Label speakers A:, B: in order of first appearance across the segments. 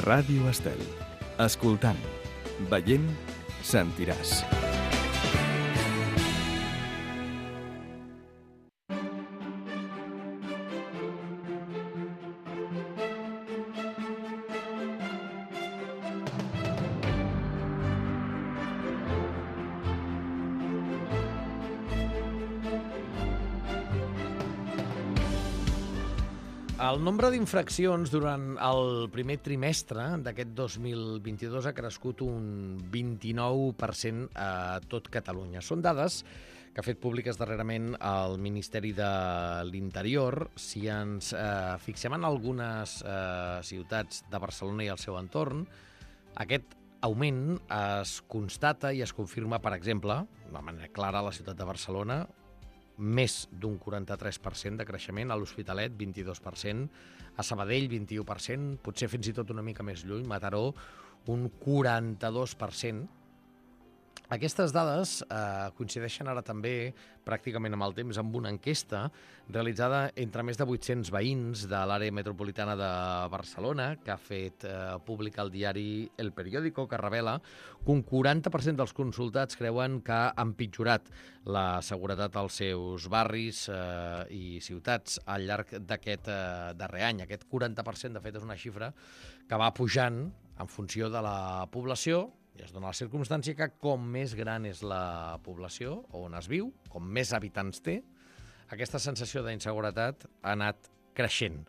A: Ràdio Estel. Escoltant, veient, sentiràs.
B: El nombre d'infraccions durant el primer trimestre d'aquest 2022 ha crescut un 29% a tot Catalunya. Són dades que ha fet públiques darrerament el Ministeri de l'Interior. Si ens fixem en algunes ciutats de Barcelona i el seu entorn, aquest augment es constata i es confirma, per exemple, de manera clara a la ciutat de Barcelona, més d'un 43% de creixement, a l'Hospitalet 22%, a Sabadell 21%, potser fins i tot una mica més lluny, Mataró un 42%. Aquestes dades coincideixen ara també, pràcticament amb el temps, amb una enquesta realitzada entre més de 800 veïns de l'àrea metropolitana de Barcelona, que ha fet públic el diari El Periódico, que revela que un 40% dels consultats creuen que ha empitjorat la seguretat als seus barris i ciutats al llarg d'aquest darrer any. Aquest 40%, de fet, és una xifra que va pujant en funció de la població, i es dona la circumstància que com més gran és la població on es viu, com més habitants té, aquesta sensació d'inseguretat ha anat creixent.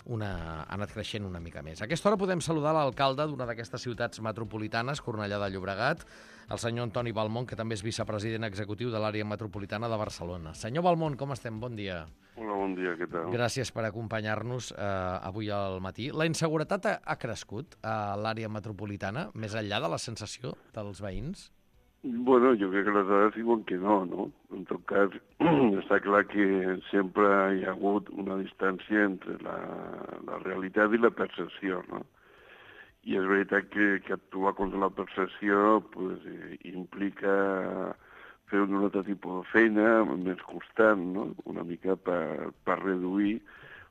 B: Ha anat creixent una mica més. A aquesta hora podem saludar l'alcalde d'una d'aquestes ciutats metropolitanes, Cornellà de Llobregat, el senyor Antoni Balmont, que també és vicepresident executiu de l'àrea metropolitana de Barcelona. Senyor Balmont, com estem? Bon dia.
C: Hola, bon dia, què tal?
B: Gràcies per acompanyar-nos avui al matí. La inseguretat ha crescut a l'àrea metropolitana, més enllà de la sensació dels veïns?
C: Bueno, jo crec que les dades diuen que no, no? En tot cas, està clar que sempre hi ha hagut una distància entre la realitat i la percepció, no? I és veritat que actuar contra la percepció pues, implica fer un altre tipus de feina més constant, no? Una mica per reduir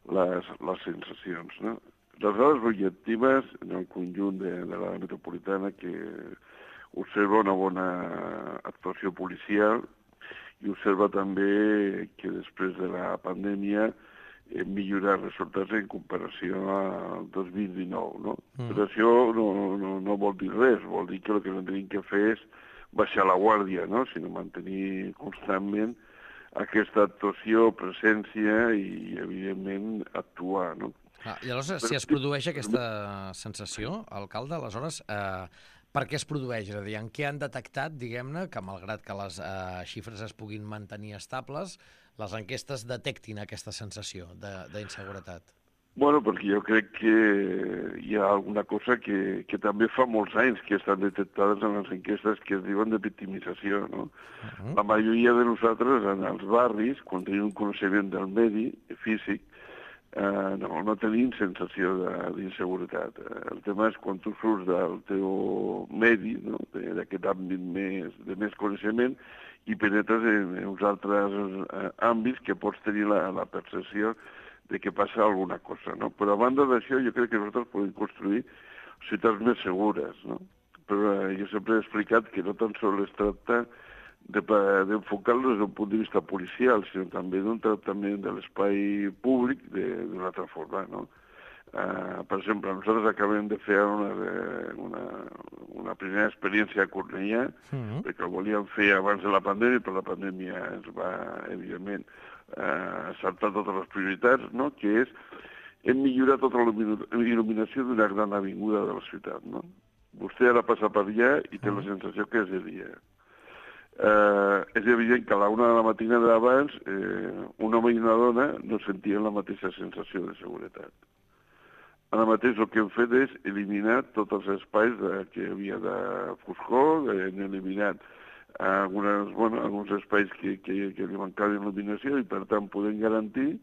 C: les sensacions, no? Les dades objectives en el conjunt de l'àrea metropolitana que observa una bona actuació policial i observa també que després de la pandèmia hem millorat resultats en comparació al 2019, no? Però això no vol dir res, vol dir que el que no tenim que fer és baixar la guàrdia, no? Sinó mantenir constantment aquesta actuació, presència i, evidentment, actuar, no?
B: I aleshores, si es produeix aquesta sensació, alcalde, aleshores, per què es produeix? És a dir, en què han detectat, diguem-ne, que malgrat que les xifres es puguin mantenir estables, les enquestes detectin aquesta sensació d'inseguretat?
C: Bueno, perquè jo crec que hi ha alguna cosa que també fa molts anys que estan detectades en les enquestes que es diuen de victimització, no? La majoria de nosaltres, en els barris, quan tenim un coneixement del medi físic, no tenim sensació d'inseguretat. El tema és quan tu surts del teu medi, no? D'aquest àmbit de més coneixement, i penetres en uns altres àmbits que pots tenir la percepció de que passa alguna cosa, no? Però a banda d'això, jo crec que nosaltres podem construir ciutats més segures, no? Però jo sempre he explicat que no tan sols es tracta d'enfocar-lo des d'un punt de vista policial, sinó també d'un tractament de l'espai públic d'una altra forma, no? Per exemple, nosaltres acabem de fer una primera experiència a Cornellà, perquè ho volíem fer abans de la pandèmia, però la pandèmia ens va, evidentment, saltar totes les prioritats, no? Que és, hem millorat tota la il·luminació d'una gran avinguda de la ciutat, no? Vostè ara passa per allà i té la sensació que és de dia. És evident que a la 1 de la matina d'abans un home i una dona no sentien la mateixa sensació de seguretat. Ara mateix el que hem fet és eliminar tots els espais que hi havia de foscor, hem eliminat alguns espais que li mancaven il·luminació i per tant podem garantir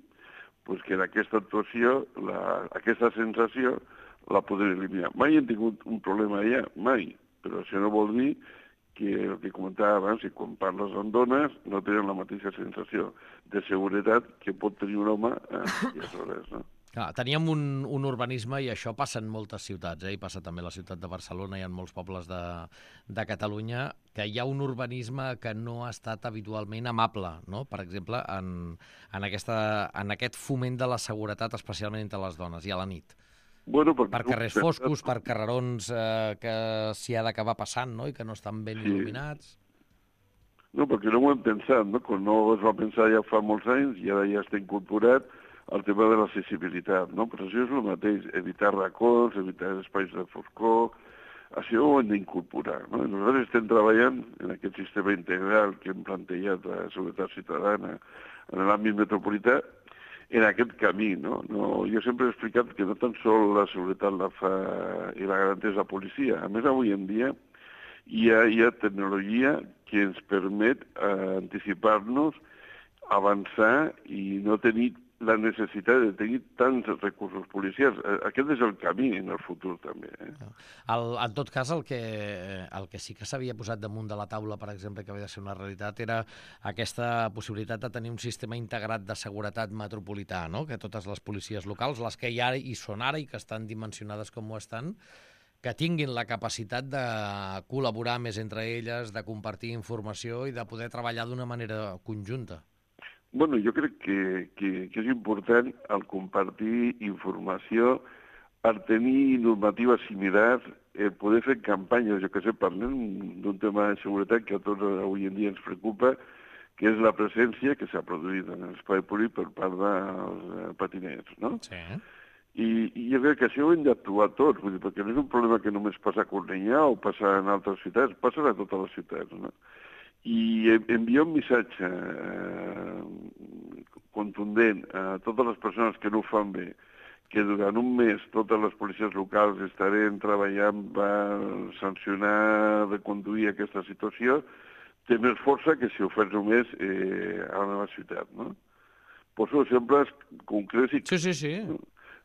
C: que en aquesta actuació aquesta sensació la podem eliminar. Mai hem tingut un problema allà, mai, però això no vol dir que el que comentava abans, i quan parles amb dones, no tenen la mateixa sensació de seguretat que pot tenir un home a aquelles hores, no?
B: Teníem un urbanisme, i això passa en moltes ciutats, i passa també a la ciutat de Barcelona i en molts pobles de Catalunya, que hi ha un urbanisme que no ha estat habitualment amable, no? Per exemple, en aquest foment de la seguretat, especialment entre les dones i a la nit.
C: Bueno,
B: Per carrers foscos, per carrerons que s'hi ha d'acabar passant, no? I que no estan ben il·luminats.
C: No, perquè no ho hem pensat, no? Quan no es va pensar ja fa molts anys i ara ja està incorporat el tema de l'accessibilitat, no? Però això és el mateix, evitar racons, evitar espais de foscor, això ho hem d'incorporar, no? I nosaltres estem treballant en aquest sistema integral que hem plantejat la seguretat ciutadana en l'àmbit metropolità, en aquest camí, no? Jo sempre he explicat que no tan sol la seguretat la fa i la garanteix la policia. A més, avui en dia hi ha tecnologia que ens permet anticipar-nos, avançar i no tenir la necessitat de tenir tants recursos policials. Aquest és el camí en el futur, també.
B: En tot cas, el que sí que s'havia posat damunt de la taula, per exemple, que havia de ser una realitat, era aquesta possibilitat de tenir un sistema integrat de seguretat metropolità, no? Que totes les policies locals, les que hi són ara i que estan dimensionades com ho estan, que tinguin la capacitat de col·laborar més entre elles, de compartir informació i de poder treballar d'una manera conjunta.
C: Bueno, jo crec que és important el compartir informació, el tenir normatives similars, poder fer campanyes, jo que sé, parlem d'un tema de seguretat que a tots avui en dia ens preocupa, que és la presència que s'ha produït en l'espai públic per part dels patinets, no?
B: Sí.
C: I jo crec que això ho hem d'actuar tots, vull dir, perquè no és un problema que només passa a Cornellà o passa en altres ciutats, passa a totes les ciutats, no? I enviar un missatge contundent a totes les persones que no ho fan bé, que durant un mes totes les policies locals estarem treballant per sancionar, reconduir aquesta situació, té més força que si ho fas només a la meva ciutat, no? Poso exemples concrets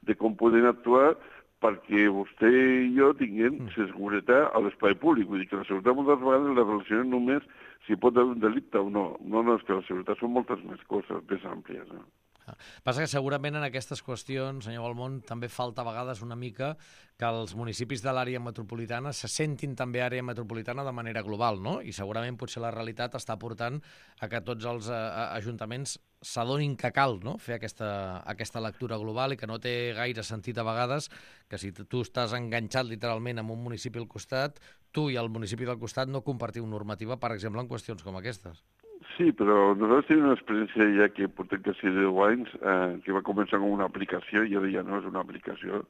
C: de com poden actuar perquè vostè i jo tinguem seguretat a l'espai públic. Vull dir que la seguretat moltes vegades la relacionem només si pot haver un delicte o no. No, és que la seguretat són moltes més coses, més àmplies. No?
B: Passa que segurament en aquestes qüestions, senyor Balmont, també falta a vegades una mica que els municipis de l'àrea metropolitana se sentin també àrea metropolitana de manera global, no? I segurament potser la realitat està portant a que tots els ajuntaments s'adonin que cal, no? Fer aquesta lectura global i que no té gaire sentit a vegades que si tu estàs enganxat literalment en un municipi al costat, tu i el municipi del costat no compartiu normativa, per exemple, en qüestions com aquestes.
C: Sí, però nosaltres tenim una experiència ja que portem quasi 10 anys, que va començar com una aplicació i ara ja no és una aplicació,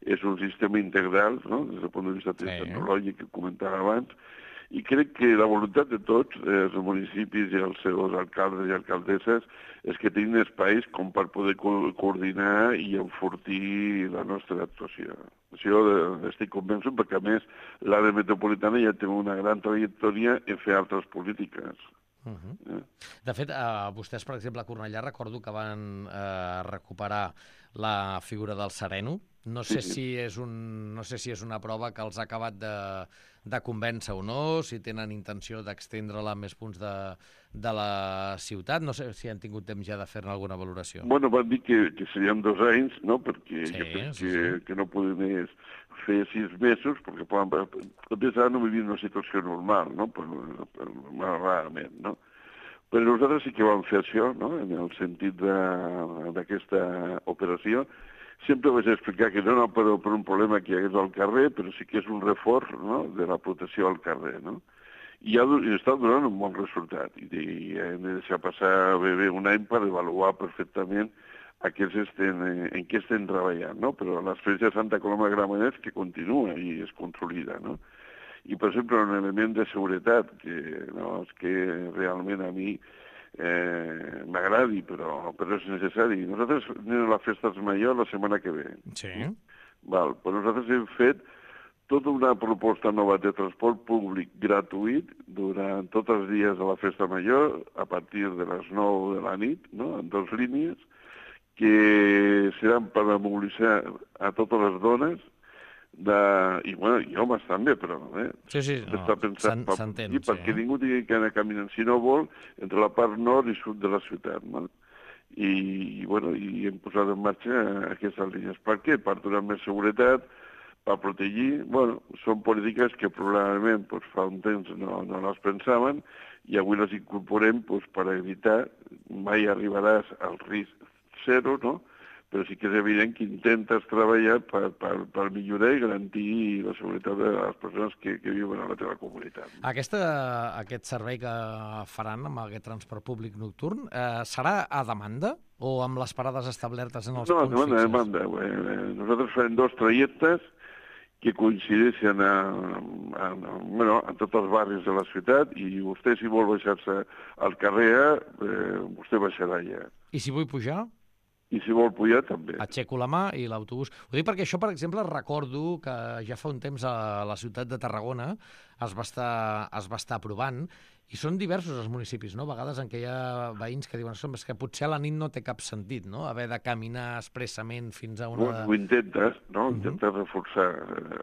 C: és un sistema integral, no?, des del punt de vista tecnològic que comentava abans, i crec que la voluntat de tots, els municipis i els seus alcaldes i alcaldesses, és que tinguin espais com per poder coordinar i enfortir la nostra actuació. Això estic convençut perquè, a més, l'àrea metropolitana ja té una gran trajectòria en fer altres polítiques.
B: De fet, vostès, per exemple, a Cornellà recordo que van recuperar la figura del sereno. No sé si és una prova que els ha acabat de convèncer o no, si tenen intenció d'extendre-la a més punts de la ciutat. No sé si han tingut temps ja de fer-ne alguna valoració.
C: Bueno, van dir que serien 2 anys, no?, perquè jo crec que no podem fer 6 mesos, perquè potser ara no vivim una situació normal, no?, rarament, no? Però nosaltres sí que vam fer això, no?, en el sentit d'aquesta operació. Sempre vaig explicar que no era per un problema que hi hagués al carrer, però sí que és un reforç, no?, de la protecció al carrer, no? I està donant un bon resultat. I hem de deixar passar bé un any per avaluar perfectament en què estem treballant, no? Però l'experiència de Santa Coloma de Gramenet que continua i es consolida, no? I, per exemple, un element de seguretat que realment a mi m'agradi, però és necessari. Nosaltres anem a la Festa Major la setmana que ve.
B: Sí.
C: Però nosaltres hem fet tota una proposta nova de transport públic gratuït durant tots els dies de la Festa Major, a partir de les 9 de la nit, no?, en 2 línies, que seran per mobilitzar a totes les dones, i homes també, però està pensat perquè ningú tingui que anar caminant, si no vol, entre la part nord i sud de la ciutat, no? i hem posat en marxa aquestes línies. Per què? Per donar més seguretat, per protegir. Són polítiques que probablement fa un temps no les pensaven i avui les incorporem per evitar, mai arribaràs al risc zero, no? Però sí que és evident que intentes treballar per millorar i garantir la seguretat de les persones que viuen a la teva comunitat.
B: Aquest servei que faran amb aquest transport públic nocturn serà a demanda o amb les parades establertes en els punts fixes?
C: No, a demanda. Nosaltres farem 2 trajectes que coincideixen en tots els barris de la ciutat i vostè, si vol baixar-se al carrer, vostè baixarà allà.
B: I si vull pujar?
C: I si vol pujar, també.
B: Aixeco la mà i l'autobús. Ho dic perquè això, per exemple, recordo que ja fa un temps a la ciutat de Tarragona es va estar provant i són diversos els municipis, no? A vegades en què hi ha veïns que diuen que potser a la nit no té cap sentit, no? Haver de caminar expressament fins a una...
C: Ho intentes, no? Intentes reforçar.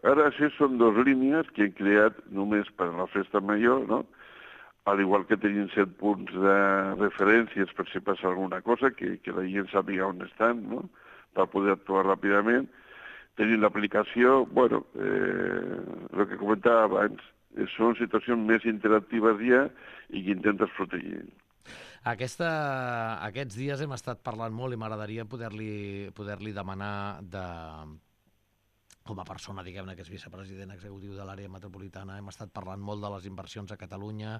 C: Ara això són 2 línies que hem creat només per a la festa major, no? Al igual que tenim 7 punts de referències per si passa alguna cosa, que la gent sàpiga on estan, no? Per poder actuar ràpidament. Tenim l'aplicació, el que comentava abans, són situacions més interactives ja i que intentes protegir.
B: Aquests dies hem estat parlant molt i m'agradaria poder-li demanar com a persona, diguem-ne, que és vicepresident executiu de l'àrea metropolitana, hem estat parlant molt de les inversions a Catalunya,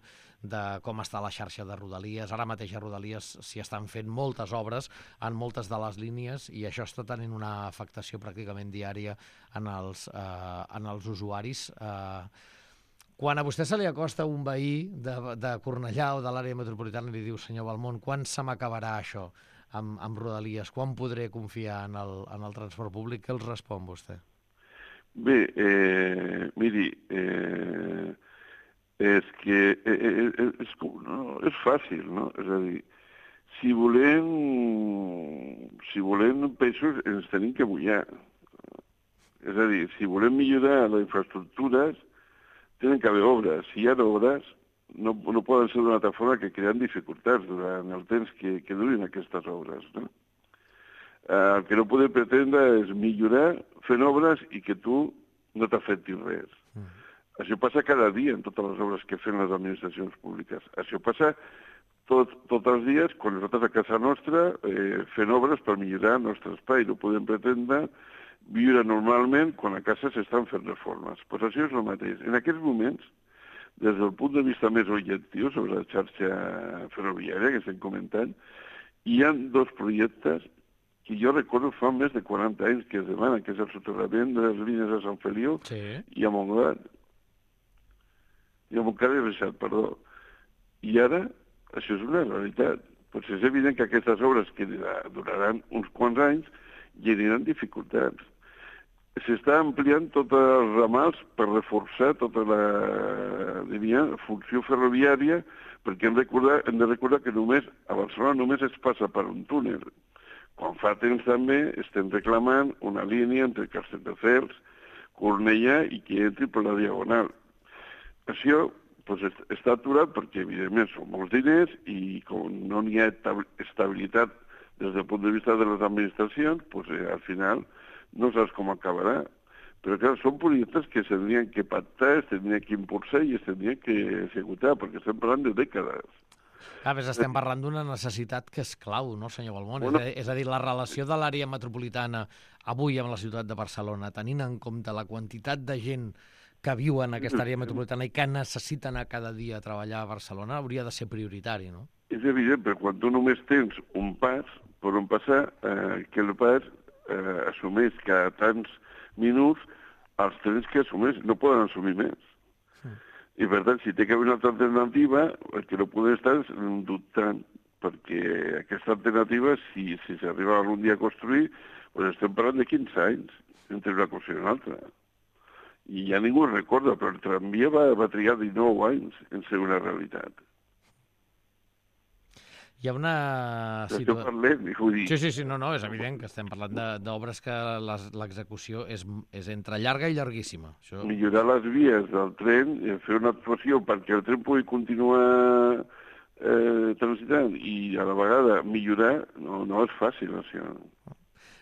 B: de com està la xarxa de Rodalies. Ara mateix a Rodalies s'hi estan fent moltes obres en moltes de les línies i això està tenint una afectació pràcticament diària en els usuaris. Quan a vostè se li acosta un veí de Cornellà o de l'àrea metropolitana i li diu, senyor Balmont, quan se m'acabarà això amb Rodalies? Quan podré confiar en el transport públic? Què els respon vostè?
C: Bé, miri, és que és fàcil, no? És a dir, si volem peixos ens tenim que mullar. És a dir, si volem millorar les infraestructures, tenen que haver obres. Si hi ha obres, no poden ser d'una altra forma que creant dificultats durant el temps que durin aquestes obres, no? El que no podem pretendre és millorar fent obres i que tu no t'afectis res. Això passa cada dia en totes les obres que fan les administracions públiques. Això passa tots els dies quan nosaltres a casa nostra fent obres per millorar el nostre espai. No podem pretendre viure normalment quan a casa s'estan fent reformes. Pues això és el mateix. En aquests moments, des del punt de vista més objectiu sobre la xarxa ferroviària que estem comentant, hi ha 2 projectes que jo recordo fa més de 40 anys que es demana, que és el soterrament de les línies de Sant Feliu i a Montgat. I a Montgat i Reixat, perdó. I ara, això és una realitat. Doncs és evident que aquestes obres que duraran uns quants anys generen dificultats. S'està ampliant tots els ramals per reforçar tota la funció ferroviària, perquè hem de recordar que a Barcelona només es passa per un túnel. Quan fa temps també estem reclamant una línia entre Castelldefels, Cornellà i que entri per la Diagonal. Això està aturat perquè, evidentment, són molts diners i com no n'hi ha estabilitat des del punt de vista de les administracions, al final no saps com acabarà. Però, clar, són projectes que s'haurien que pactar, es tindrien que impulsar i es tindrien que executar, perquè estem parlant de dècades.
B: A més, estem parlant d'una necessitat que és clau, no, senyor Balmont? És a dir, la relació de l'àrea metropolitana avui amb la ciutat de Barcelona, tenint en compte la quantitat de gent que viu en aquesta àrea metropolitana i que necessita anar cada dia a treballar a Barcelona, hauria de ser prioritari, no?
C: És evident, però quan tu només tens un pas per on passar, que el pas assumeix cada tants minuts, els trens que assumeix no poden assumir més. I, per tant, si té que haver una altra alternativa, el que no podem estar és dubtant, perquè aquesta alternativa, si s'arriba algun dia a construir, doncs estem parlant de 15 anys entre una cosa i una altra. I ja ningú recorda, però el tramvia va trigar 19 anys en ser una realitat.
B: Hi ha una
C: situació... parlem, vull dir...
B: Sí, no, és evident que estem parlant d'obres que l'execució és entre llarga i llarguíssima. Això...
C: Millorar les vies del tren, fer una actuació perquè el tren pugui continuar transitant i a la vegada millorar, no és fàcil, això.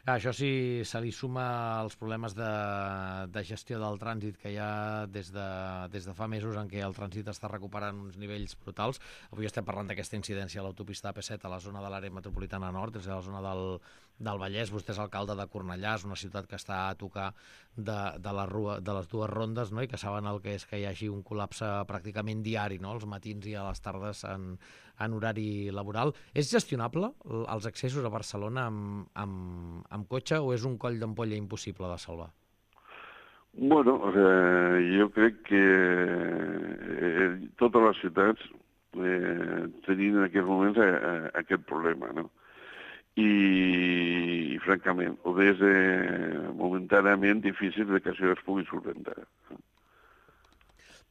B: Això sí, se li suma els problemes de gestió del trànsit que hi ha des de fa mesos en què el trànsit està recuperant uns nivells brutals. Avui estem parlant d'aquesta incidència a l'autopista AP7 a la zona de l'àrea metropolitana nord, és a la zona del Vallès. Vostè és alcalde de Cornellà, és una ciutat que està a tocar de les dues rondes, no? I que saben el que és que hi hagi un col·lapse pràcticament diari, no? Als matins i a les tardes en horari laboral. És gestionable els accessos a Barcelona amb cotxe o és un coll d'ampolla impossible de salvar?
C: Bueno, jo crec que totes les ciutats tenien en aquests moments aquest problema, no? I francament, ho és momentàniament difícil que això es pugui solventar.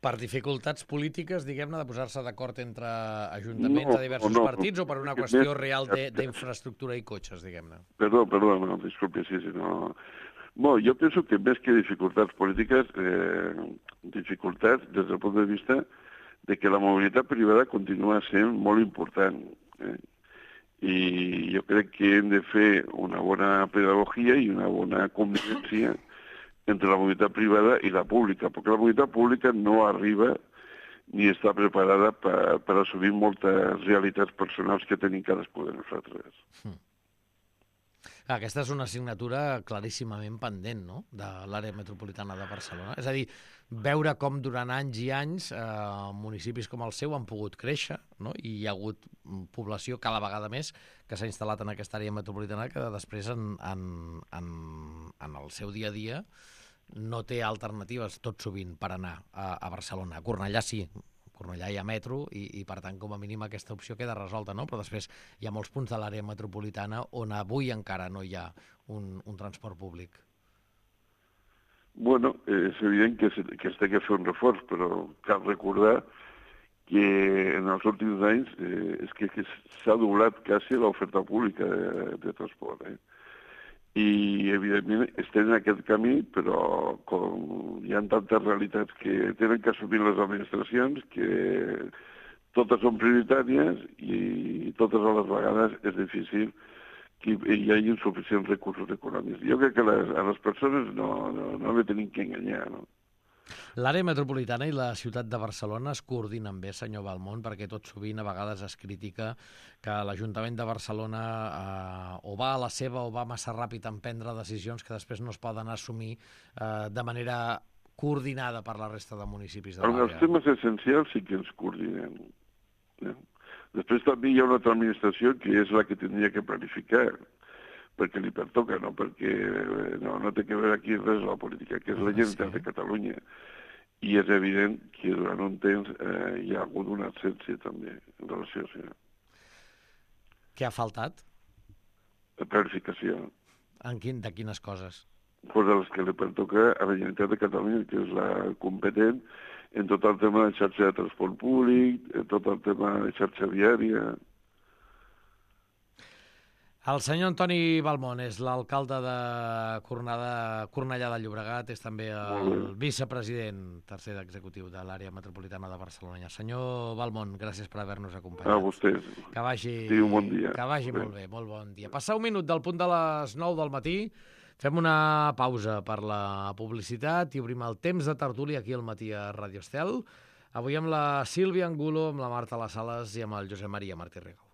B: Per dificultats polítiques, diguem-ne, de posar-se d'acord entre ajuntaments de diversos partits o per una qüestió real d'infraestructura i cotxes, diguem-ne?
C: Perdó, no, disculpi, sí, no. Bueno, jo penso que més que dificultats polítiques, dificultats des del punt de vista de que la mobilitat privada continua sent molt important. I jo crec que hem de fer una bona pedagogia i una bona convivència entre la mobilitat privada i la pública, perquè la mobilitat pública no arriba ni està preparada per assumir moltes realitats personals que tenim cadascú de nosaltres.
B: Aquesta és una assignatura claríssimament pendent, no?, de l'àrea metropolitana de Barcelona. És a dir, veure com durant anys i anys municipis com el seu han pogut créixer, no?, i hi ha hagut població cada vegada més que s'ha instal·lat en aquesta àrea metropolitana que després en el seu dia a dia no té alternatives tot sovint per anar a Barcelona. A Cornellà sí, a Cornellà hi ha metro i per tant com a mínim aquesta opció queda resolta, no? Però després hi ha molts punts de l'àrea metropolitana on avui encara no hi ha un transport públic.
C: Bueno, és evident que es té que fer un reforç, però cal recordar que en els últims anys és que s'ha doblat quasi l'oferta pública de transport, I, evidentment, estem en aquest camí, però com hi ha tantes realitats que tenen que assumir les administracions, que totes són prioritàries i totes a les vegades és difícil que hi hagi suficients recursos econòmics. Jo crec que a les persones no les tenim que enganyar, no?
B: L'àrea metropolitana i la ciutat de Barcelona es coordinen bé, senyor Balmont, perquè tot sovint a vegades es critica que l'Ajuntament de Barcelona o va a la seva o va massa ràpid en prendre decisions que després no es poden assumir de manera coordinada per la resta de municipis de l'àrea.
C: Els temes essencials sí que ens coordinem. Després també hi ha una altra administració que és la que tindria que planificar, perquè li pertoca, no perquè no té que veure aquí res la política, que és la Generalitat de Catalunya. I és evident que durant un temps hi ha hagut una absència també en relació a això.
B: Què ha faltat?
C: La planificació.
B: De quines coses?
C: Pues de les que li pertoca a la Generalitat de Catalunya, que és la competent en tot el tema de xarxa de transport públic, en tot el tema de xarxa viària.
B: El senyor Antoni Balmont és l'alcalde de Cornellà de Llobregat, és també el vicepresident tercer executiu de l'àrea metropolitana de Barcelona. Senyor Balmont, gràcies per haver-nos acompanyat.
C: A vostès.
B: Que vagi,
C: un bon dia.
B: Que vagi molt bé, molt bon dia. Passar un minut del punt de les 9 del matí, fem una pausa per la publicitat i obrim el temps de tertúlia aquí al matí a Radio Estel. Avui amb la Sílvia Angulo, amb la Marta Las Sales i amb el Josep Maria Martí Rigo.